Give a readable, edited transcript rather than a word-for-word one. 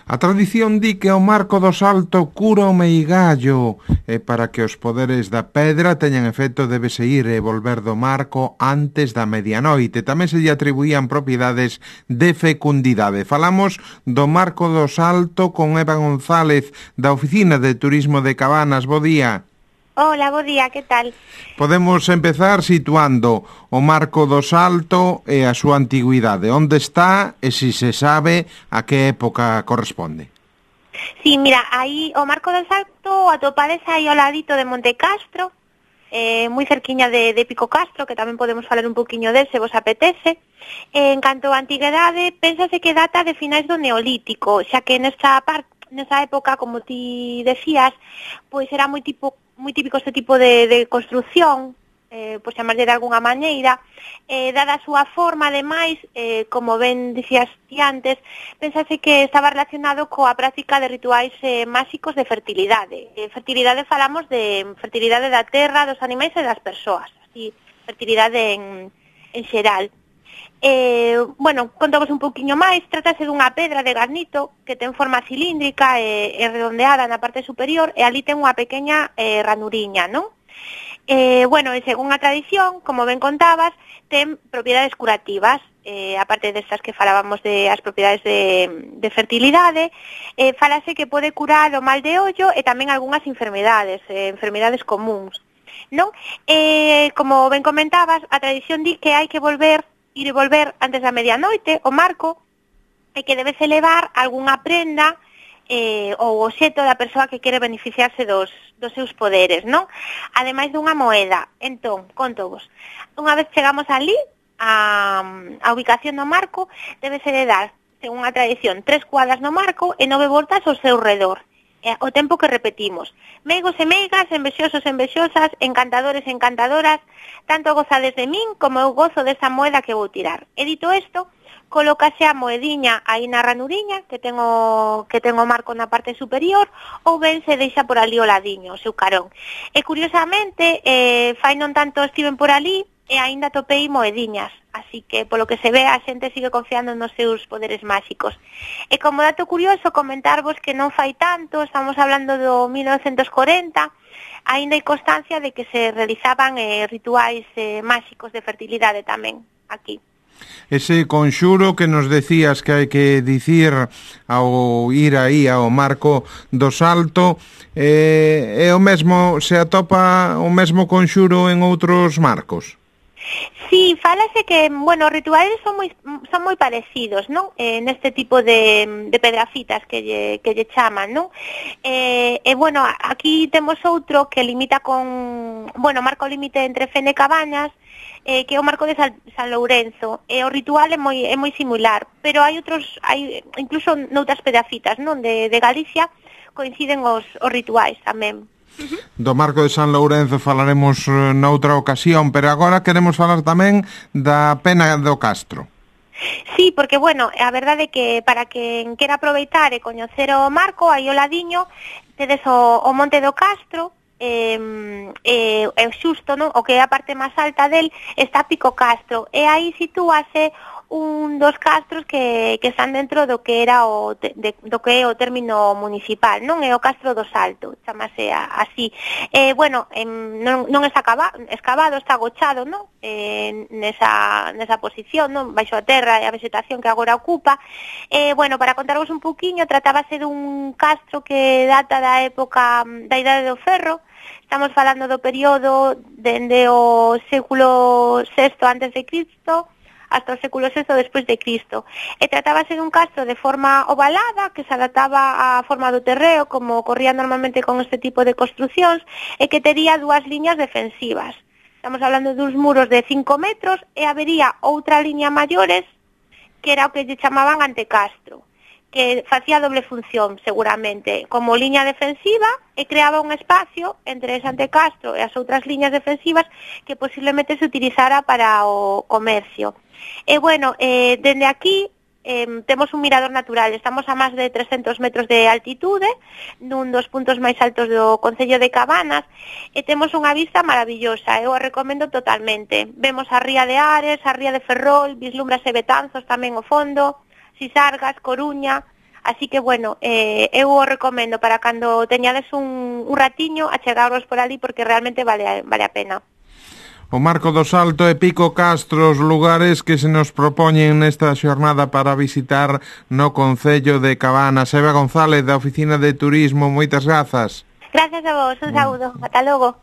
A tradición di que o marco do salto cura o meigallo e para que os poderes da pedra teñan efecto débese ir e volver do marco antes da medianoite. Tamén se lle atribuían propiedades de fecundidade. Falamos do marco do salto con Eva González da Oficina de Turismo de Cabanas. Bo día. Hola, bo día, que tal? Podemos empezar situando o Marco do Salto e a súa antigüidade. Onde está e se sabe a que época corresponde? Sí, mira, aí o Marco do Salto atopades aí ao ladito de Monte Castro, moi cerquiña de Pico Castro, que tamén podemos falar un poquinho del se vos apetece. En canto a antigüedade, pénsase que data de finais do Neolítico, xa que nesa época, como ti decías, pois era moi típico este tipo de construción, por chamarlle de algunha maneira, dada a súa forma, ademais, como ben dicías ti antes, pensase que estaba relacionado coa práctica de rituais máxicos de fertilidade. Fertilidade falamos de fertilidade da terra, dos animais e das persoas, así, fertilidade en xeral. Bueno, contamos un pouquiño máis. Trátase dunha pedra de granito que ten forma cilíndrica e redondeada na parte superior, e ali ten unha pequena ranuriña, non? Bueno, e según a tradición, como ben contabas, ten propiedades curativas, aparte destas que falábamos de as propiedades de fertilidade, falase que pode curar o mal de ollo e tamén algunhas enfermedades comuns, non? Como ben comentabas, a tradición di que hai que ir e volver antes da medianoite, o marco, e que debese levar algunha prenda ou obxecto da persoa que quere beneficiarse dos seus poderes, non? Ademais dunha moeda. Entón, contovos, unha vez chegamos ali, a ubicación do marco, debese de dar, según a tradición, 3 cuadras no marco e 9 voltas ao seu redor. O tempo que repetimos. Meigos e meigas, envexosos e envexosas, encantadores e encantadoras, tanto gozades de min como eu gozo desa moeda que vou tirar. E dito isto, colócase a moediña aí na ranuriña, que ten o marco na parte superior, ou ben se deixa por ali o ladiño, o seu carón. E curiosamente, fai non tanto estiven por ali, e aínda topei moediñas, así que polo que se ve a xente sigue confiando nos seus poderes máxicos. E como dato curioso, comentarvos que non fai tanto, estamos hablando do 1940, aínda hai constancia de que se realizaban rituais máxicos de fertilidade tamén aquí. Ese conxuro que nos decías que hai que dicir ao ir aí ao Marco do Salto, é o mesmo, se atopa o mesmo conxuro en outros marcos? Sí, fálase que, bueno, os rituais son moi parecidos, non? Neste tipo de pedrafitas que lle chaman, non? Bueno, aquí temos outro que limita con, bueno, marco límite entre Fene e Cabañas, que é o marco de San Lourenzo. O ritual é moi similar, pero hai incluso noutras pedrafitas, non? De Galicia coinciden os rituais tamén. Do Marco de San Lourenzo falaremos noutra ocasión, pero agora queremos falar tamén da Pena do Castro. Sí, porque, bueno, a verdade é que para quen quera aproveitar e coñecer o marco, aí ao ladiño, tedes o Monte do Castro, xusto, non? O que é a parte máis alta del está Pico Castro, e aí sitúase un dos castros que están dentro do que era do que é o término municipal, non? É o Castro do Salto, chamase así. Bueno, non está escavado, está agochado, non? Nesa posición, non? Baixo a terra e a vegetación que agora ocupa. Bueno, para contarvos un pouquiño, tratábase dun castro que data da época da Idade do Ferro. Estamos falando do período dende o século VI antes de Cristo hasta o século VI despois de Cristo. E tratábase dun castro de forma ovalada que se adaptaba á forma do terreo, como ocorría normalmente con este tipo de construcións, e que tería 2 liñas defensivas. Estamos hablando duns muros de 5 metros e habería outra liña maiores que era o que lle chamaban antecastro, que facía doble función, seguramente, como liña defensiva e creaba un espacio entre ese antecastro e as outras liñas defensivas que posiblemente se utilizara para o comercio. E, bueno, dende aquí temos un mirador natural, estamos a máis de 300 metros de altitude, nun dos puntos máis altos do Concello de Cabanas, e temos unha vista maravillosa, eu o recomendo totalmente. Vemos a ría de Ares, a ría de Ferrol, vislumbras e Betanzos tamén ao fondo, Sisargas, Coruña, Así que, bueno, eu o recomendo para cando teñades un ratiño achegaros por ali porque realmente vale a pena. O Marco do Salto e Pico Castro, os lugares que se nos propoñen nesta xornada para visitar no concello de Cabanas. Eva González, da Oficina de Turismo, moitas grazas. Gracias a vos, un saúdo, ata logo.